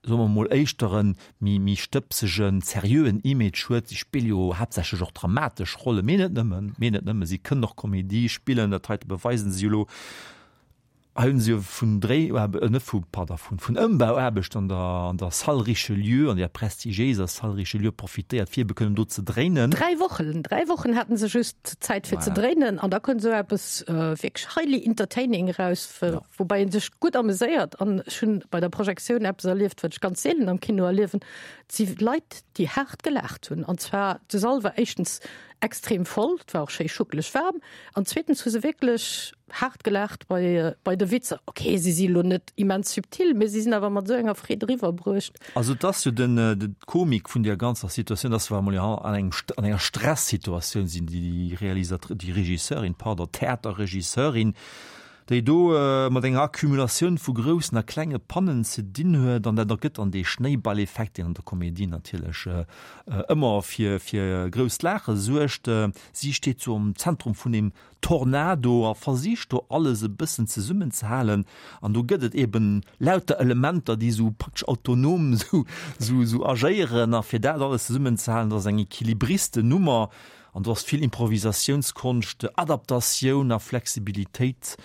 soe mer mol, éischter e méi, méi stëbsegen, seriöen Image huet. Si spille jo haaptsächlech och dramatesch Rollen, mee net nëmmen, mee net nëmmen, si kënnen och Komedie spillen, dat heite beweisen si jo elo. Hei hunn se jo vun Dréi, net vu, pardon, vun, vun Ëmbauaarbecht an der, an der Salle Richelieu, an der prestigiéiser Salle Richelieu profitéiert, fir ebe kënnen do ze dréinen. Dräi Wochen, dräi Wochen haten se just Zäit fir ze dréinen an da kënnt esou eppes wierklech highly entertaining eraus, woubäi ee sech gutt ameséiert. An ech hunn bei der Projektioun eppes erlieft, wat ech ganz seelen am Kino erliewen, Et si Leit, déi haart gelaacht hunn. An zwar, de Sall war éischtens extrem voll, et war och schéi schuckeleg waarm, an zweetens hu se wierklech haart gelaacht bei, bei de Witzer. Ok, si si lo net immens subtil, mee si sinn awer mat esou enger Freed eriwwerbruecht. Also et ass jo den, de Komik vun där ganzer Situatioun, dass wir emol an engem, an enger Stresssituatioun sinn, déi Realisatr-, déi Regisseurin, pardon, Theaterregisseurin, déi do mat enger Accumulatioun vu groussen a klenge Pannen ze dinn huet, an dat ergëtt dann dee Schnéiballeffekt, deen an der Komedie natierlech ëmmer fir fir grousst Laache suergt. Si steet sou am Zentrum vun deem Tornado a versicht do alles e bëssen zesummenzehalen, an do gëtt et eben lauter Elementer, déi sou praktesch autonom sou sou sou agéieren, a fir dat alles zesummenzehalen, dat ass eng Equilibristennummer. An do ass vill Improvisatiounskonscht, Adaptatioun a Flexibilitéit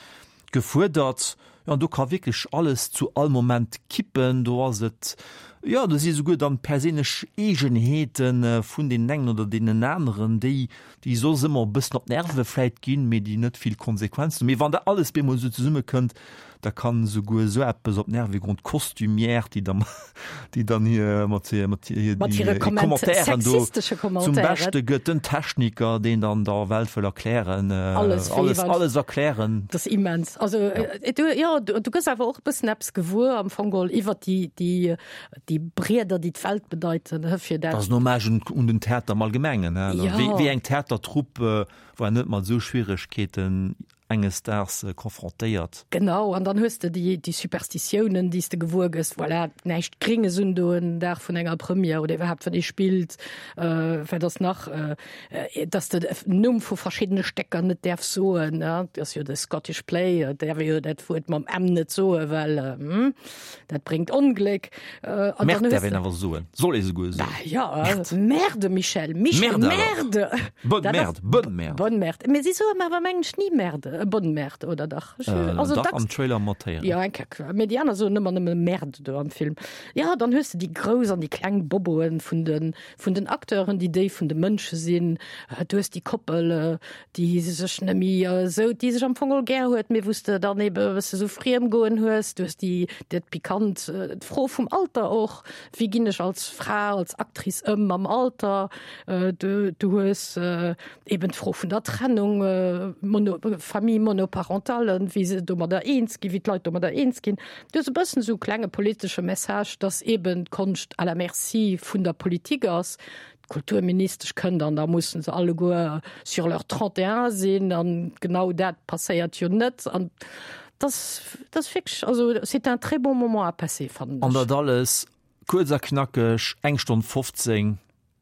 gefuerdert. Jo, an do ka wierklech alles zu all Moment kippen. Do ass et, jo, do si souguer dann perséinlech Eegenheete vun deenen engen oder deenen aneren, déi, déi soss ëmmer e bëssen op d'Nerve vläit ginn, mee déi net vill Konsequenzen hunn. Mee wann da alles bemol esou zesummekënnt, Da kann esouguer esou eppes op d'Nerve goen, d'Costumière, déi da déi dann hir mat hir mat hir Mat hire Komment Commentairen do sexistesche zum Commentairen. Beschte gëtt, den Techniker, deen dann der Welt wëll erklären, Alles fir alles jeeweils. alles erklären. Dat ass immens. Also Ja. du, jo, du, du gëss awer och e bëssen eppes gewuer am Fong geholl iwwer déi, déi, déi Brieder, déi d'Welt bedeiten, hë, fir Dat dat. ass en Hommage un un den Theater am Allgemengen, hä. Ja. Wéi wéi eng Theatertrupp war net mat esou Schwieregkeeten enges Daags confrontéiert. Genau, an dann hues de déi, déi Superstitiounen, déi s de gewuer gëss, voilà, näischt Grénges undoen den Dag vun enger Première oder iwwerhaapt wann ee spillt, wat ass nach, dass de den Numm vu verschiddene Stécker net däerfs soen, ne, dat ass jo de Scottish Play, et däerf ee jo dat Wuert mam M net soen, well dat bréngt Ongléck. An dann Merde hues däerf de. een awer soen, soll ee souguer soen. Bah ja, Merde. Merde, Michel, Michel, Merde alors. Merde! Bonne Dat ass Merde, bonne Merde. Bonne Merde. Mee si soen awer mengen ech ni Merde. E Bonne Merde, oder dach? Ech, Äh, also dach, dacks am Trailer mat héieren. Ja, eng Kéier. Mee déi aner soen ëmmer nëmme Merde do am Film. Ja, dann hues de déi grouss an déi kleng Boboen vun den, vun den Acteuren, déi déi vun de Mënsche sinn. Du hues déi Koppel, déi sech net méi esou, déi sech am Fong all gär huet, mee wou s de dann ebe e bësse sou Friemgoen hues. Du hues déi, dat Pikant, d'Fro vum Alter och, wéi ginn ech als Fra, als Actrice ëm mam Alter? Du, du hues eben d'Fro vun der Trennung, Mono, Famille monoparentale, wéi se domadder eens ginn, wéi d'Leit domadder eens ginn. Du hues e bëssen esou e klenge politesche Message, dass eben d'Konscht à la merci vun der Politik ass. D'Kulturministesch kënnt an da mussen se alleguer sur leur trente et un sinn an genau dat passéiert jo net. An das, das wierklech, also c'est un très bon moment à passer, fannen An ech. dat alles kuerz a knackeg, eng Stonn fofzéng.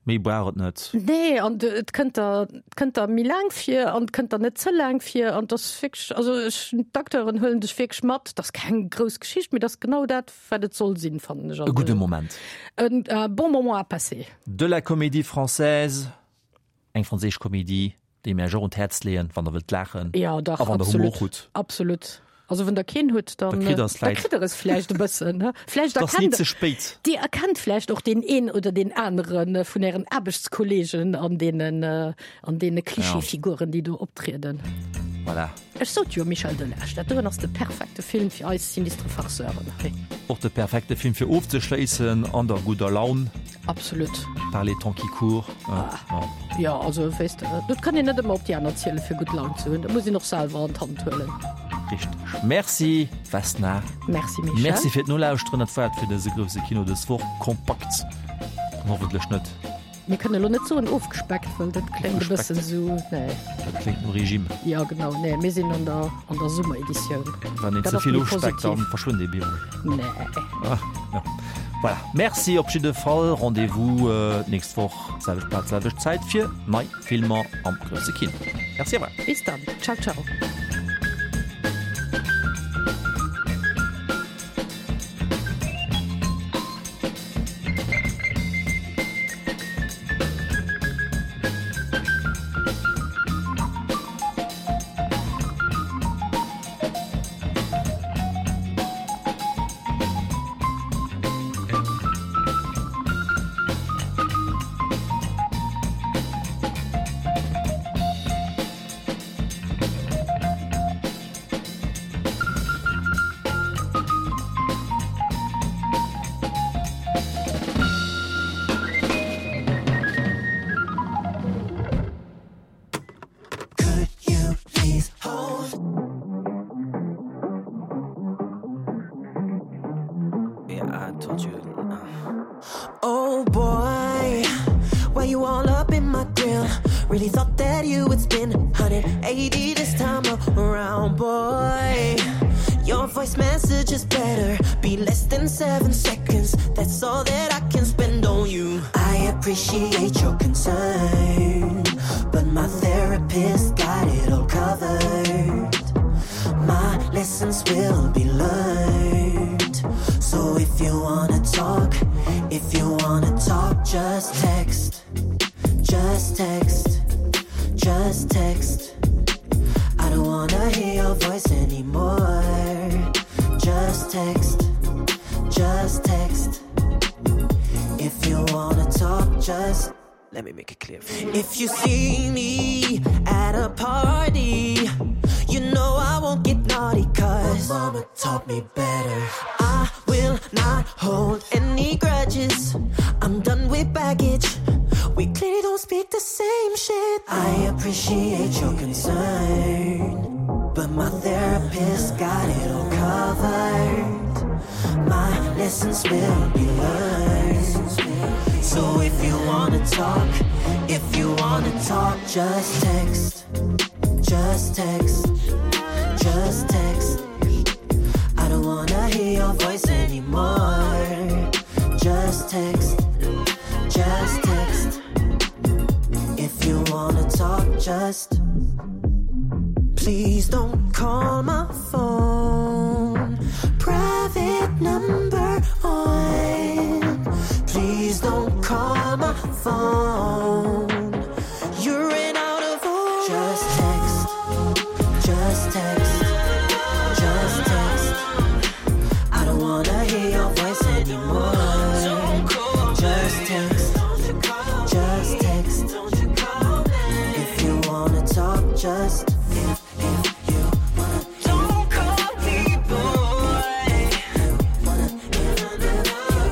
Méi brauch et net. Nee, an et kënnt der, et kënnt der méi laang vir an et kënnt der net ze laang vir an et ass wierklech, also ech, d'Acteuren huelen dech wierklech mat. Et ass keng grouss Geschicht, mee et ass genau dat, wat et soll sinn, fannen ech. E gudde Moment. En bon moment à passer. De la comédie française, eng franséisch Komedie, déi mir iech och un d'Häerz leeën, wann der wëllt laachen Ja, dach, a wann der Humor absolut. hutt. Absolut. Also wann der keen hutt, Da dann, kritt der es da vläit. kritt der es vläicht e bëssen, ne? Vläicht Et ass ni erkennt ze spéit. Dir erkennt vläicht och deen een oder deen anere vun ären Aarbechtskollegen an deenen, an deene Klischeefiguren, déi do optrieden. Voilà. Ech sot jo, Michel Delage, dat doen ass de perfekte Film fir eis sinistre Farceuren hei. Och de perfekte Film fir ofzeschléissen an der gudder Laun. Absolut. Par les temps qui courent. Ah. Ja, also weess de, et kann een net ëmmer op déi aner ziele fir gutt Laun ze hunn, dat muss een och selwer an d'Hand huelen. Richteg. Merci Vesna. Merci Michel. Merci fir d'Nolauschteren. Dat war et fir dëse grousse Kino dës Woch. Kompakt an hoffentlech net. Mir kënnen elo net soen ofgespeckt, well dat kléngt e bëssen esou, nee. Dat kléngt no Regime. Ja genau, nee, mir sinn an der, an der Summereditioun. Wann een Dat ze ass vill méi ofspeckt, positiv. dann verschwënnt ee bemol. Nee. Ah, ja. Voilà. Merci op jidde Fall. Rendez-vous d'nächst Woch, selwecht Plaz, selwecht Zäit fir nei Filmer am grousse Kino. Merci, au revoir. Bis dann. Ciao, ciao. Yeah, I told you. Uh. Oh boy, why you all up in my grill? Really thought that you would spin one hundred eighty this time around, boy. just better be less than seven seconds. That's all that I can spend on you. I appreciate your concern, but my therapist got it all covered. My lessons will be learned. So if you wanna talk, if you wanna talk, just text. Just text. Just text. I don't wanna hear your voice anymore. Just text. Just text. If you wanna talk, just let me make it clear. If you see me at a party, you know I won't get naughty cause my mama taught me better. I will not hold any grudges. I'm done with baggage. We clearly don't speak the same shit. I appreciate your concern, but my therapist got it all covered. My lessons will be learned. So if you wanna talk, if you wanna talk, just text. Just text. Just text. I don't wanna hear your voice anymore. Just text. Just text. If you wanna talk, just please don't call my phone. Private number on. Please don't call my phone. You ran out of all. Just text. Just text. Just text. I don't wanna hear your voice anymore. Just text. Just text. If you wanna talk, just if if you wanna don't call me boy. Wanna if if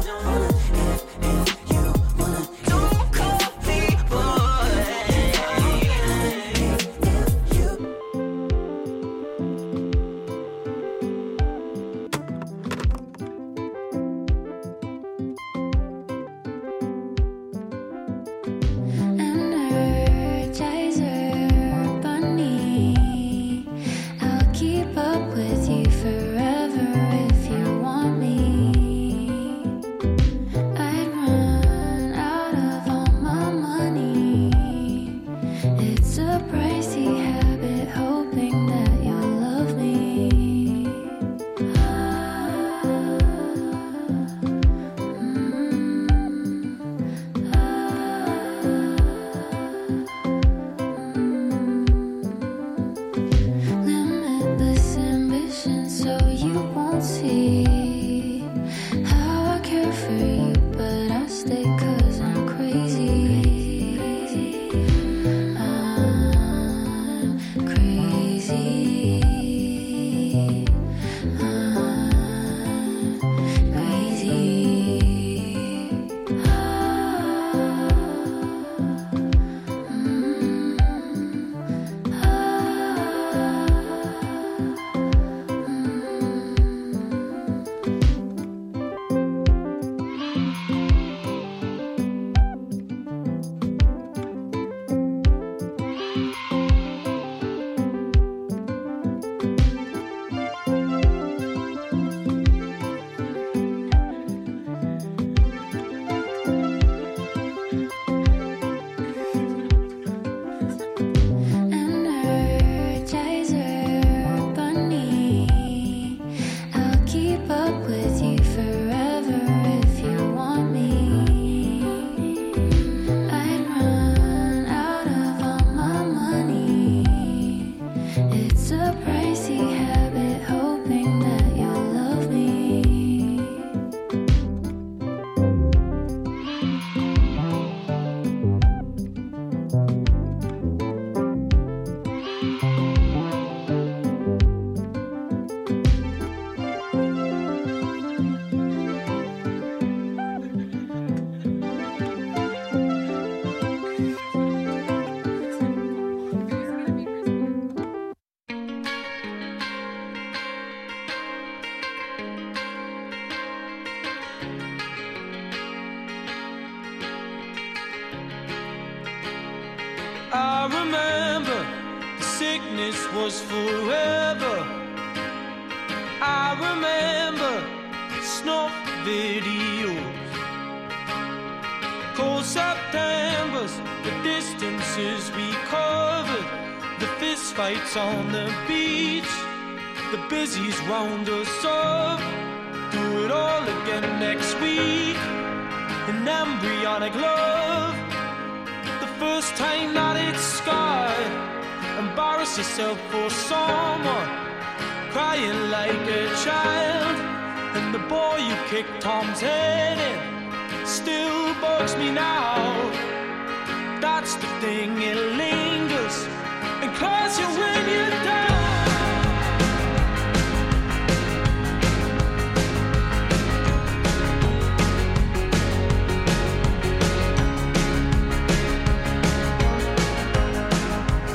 you wanna if if you wanna don't call me boy. If if you Energizer bunny, I'll keep up with you forever if you want me. I'd run out of all my money. It's a pricey habit, hoping that you'll love me. Limitless ambition, so you won't see how I care for you, but I stay 'cause I'm crazy. I'm crazy. I'm crazy. Energizer bunny, I'll keep up with you forever if you want me. I'd run out of all my money. It's a pricey habit, hoping that you'll love me. I remember the sickness was forever. I remember Snuff videos. Cold Septembers, the distances we covered, the fist fights on the beach, the busies round us up. Do it all again next week. An embryonic love, the first time that it's scarred. Embarrass yourself for someone, crying like a child. And the boy you kicked Tom's head in still bugs me now. That's the thing, it lingers and claws you when you're down.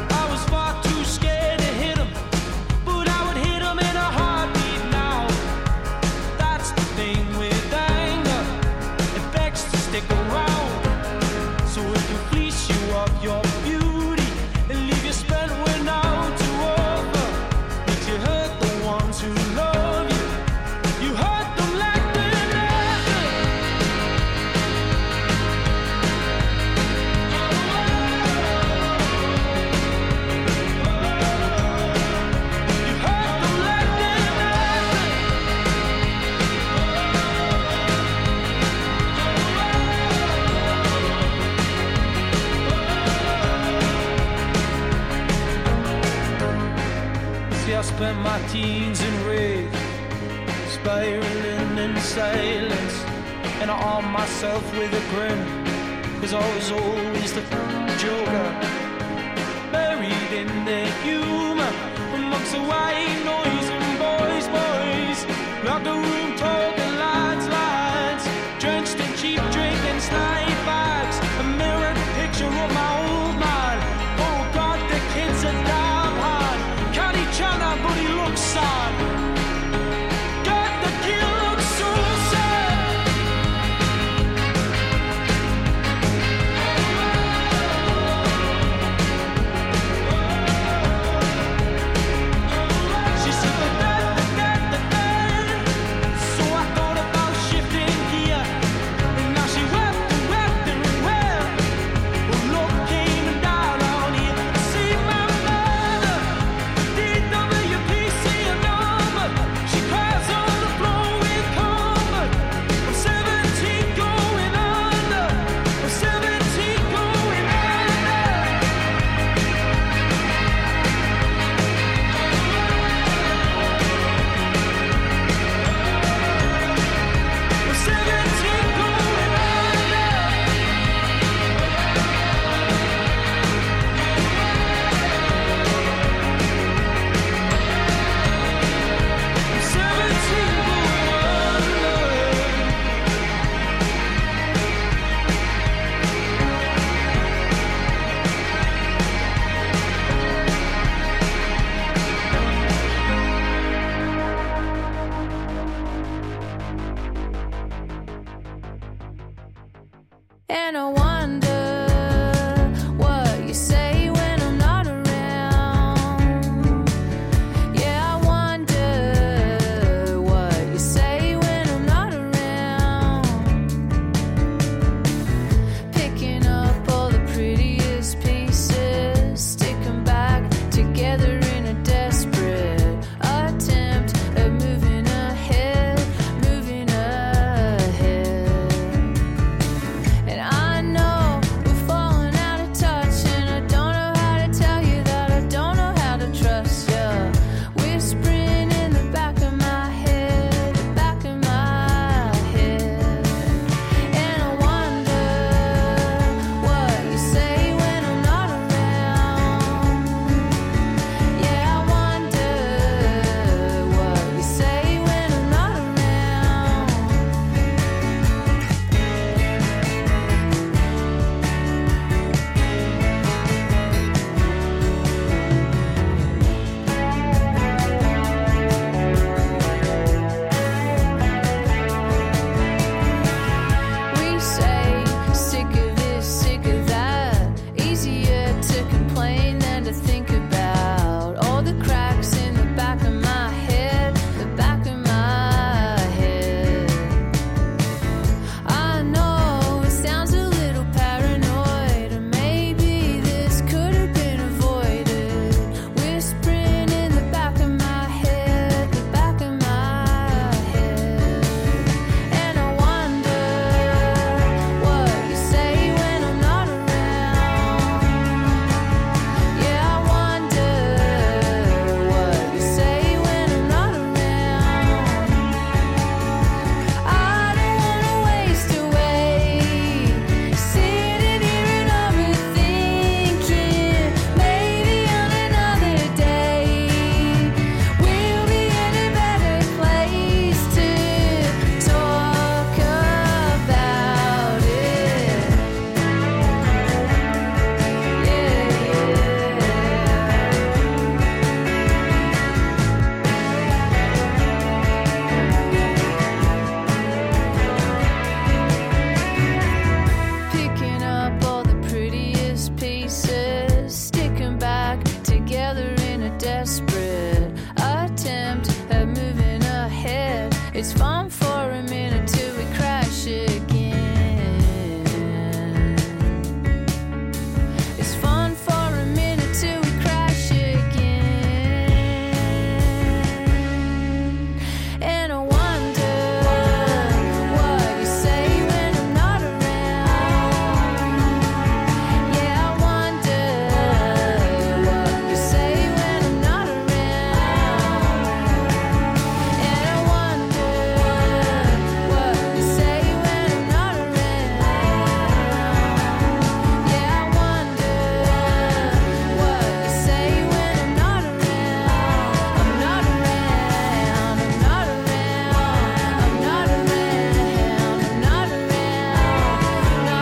I was far too scared to hit him, but I would hit him in a heartbeat now. That's the thing with anger, it begs to stick around. So it can fleece you of your beauty and leave you spent with now to offer. Makes you hurt the ones who love you. You hurt them like they're nothing. You hurt them like they're nothing. See, I spent my teens in rage, spiraling in silence, and I armed myself with a grin, cause I was always the joker, buried in the humor, amongst the white noise and boys, boys, locker room talking lads, lads, drenched in cheap drink and snipe bags, a mirrored picture of my old man. Oh God, the kids are damn hard. Can't each other, but he looks sad. God, the kid looks so sad. She said, da, da, da, da, da. So I thought about shifting gear, and now she wept and wept and wept. Well, love came and died on here. See my mother, D W P C a number. She cries on the floor with comfort. I'm seventeen going under. I'm seventeen going under. I'm seventeen going under. I'm seventeen going under. And I wonder what you say when I'm not around. Yeah, I wonder what you say when I'm not around. Picking up all the prettiest pieces, stick 'em back together in a desperate attempt at moving ahead, moving ahead. And I know It's fun for a minute till we crash again. It's fun for a minute till we crash again. And I wonder what you say when I'm not around. Yeah, I wonder what you say when I'm not around. And I wonder what you say when I'm not around. Yeah, I wonder what you say when I'm not around. I'm not around. I'm not around. I'm not around. I'm not around. Not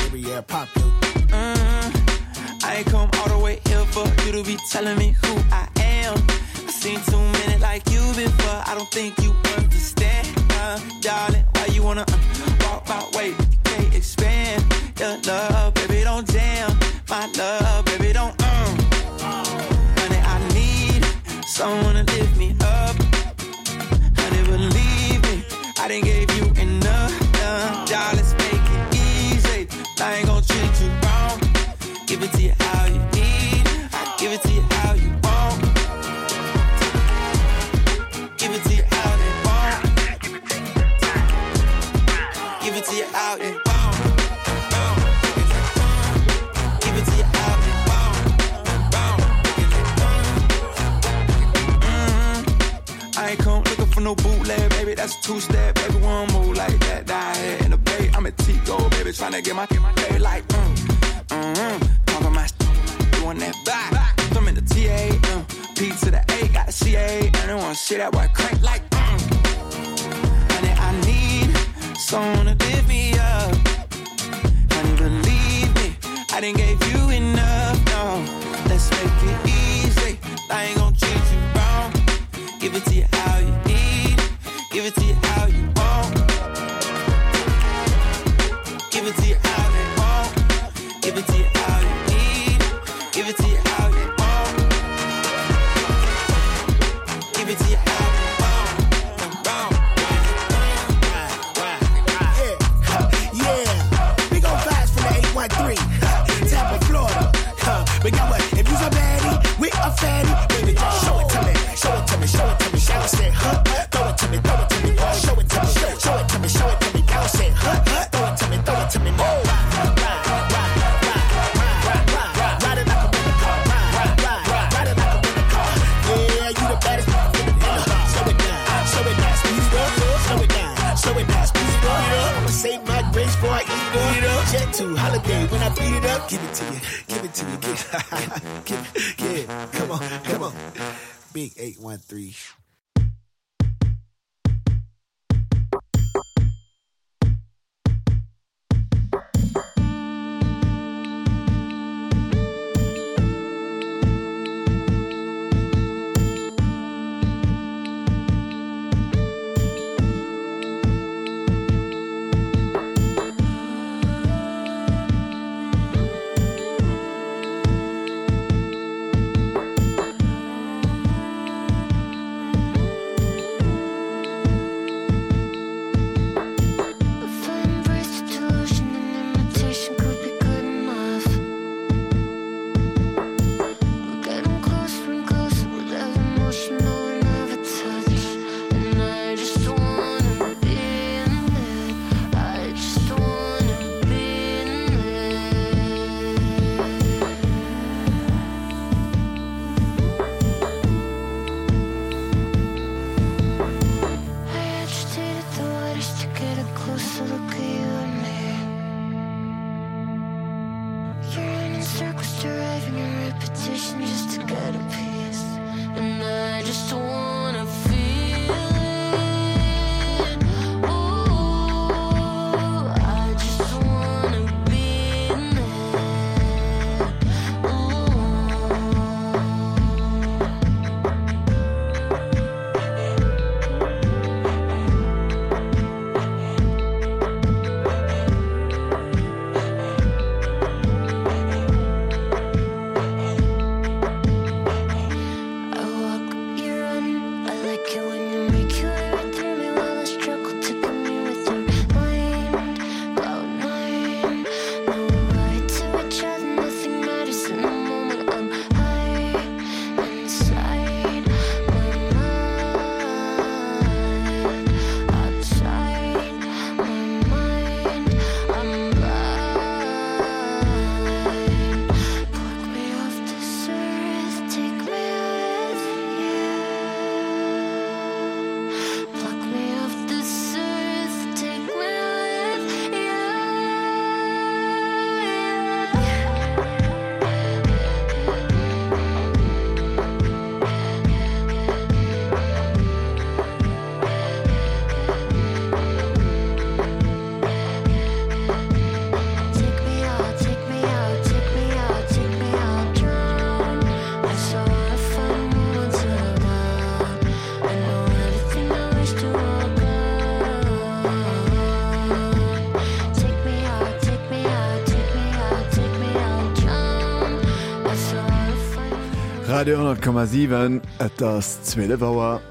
Every year pop yo. Mm, I ain't come all the way here for you to be telling me who I am. I seen too many like you before. I don't think you understand, uh, darling. Why you wanna uh, walk my way? You can't expand your love, baby. Don't jam my love, baby. Don't um. Honey, I need someone to lift me up. Honey, believe me, I didn't gave you enough. Uh, darling, let's make it easy. I ain't gonna treat you wrong. Give it to you how you need. I give it to you how you want. Give it to you how you want. Give it to you how you want. Give it to you how you want. Mm. I ain't come looking for no bootleg, baby. That's a two step, baby. One move like that. Down here in the bay, I'm a Tico, baby. Tryna get my, get my pay like, mm, mm, mm. Talking my doing that back. I'm in the T A, uh, P to the A, got the C A. And I wanna see that boy crank like, mm. Honey, I need someone to lift me up. Honey, believe me, I didn't gave you enough. No, let's make it easy. I ain't gonna treat you wrong. Give it to you how you need. Give it to you how you want. Give it to you how you want. Give it to you how you need. Give it to you how you want. Give it to you how you want. Yeah, we gon' vibes from the eight one three, Tampa, Florida. Huh. But got what? If you's a baddie with a fatty, baby, just show it to me. Show it to me, show it to me. Shout it, huh? Throw it to me, throw it to me. Show it to me, show, show it to me, show it to me. Bounce it, huh? Throw it to me, throw it to me. Ride, ride, ride, ride, ride, ride, ride, ride it like a rental car. Ride, ride, ride, ride it like a rental car. Yeah, you the baddest in the Slow it down, slow it down, speed it up, slow it down, slow it down, speed it up. I'ma save my grace before I eat it up. Jet to holiday when I beat it up. Give it to you, give it to you, give, give, yeah. Come on, come on. Big eight one three. Thank Radio honnert Komma siwen, et ass zwielef Auer.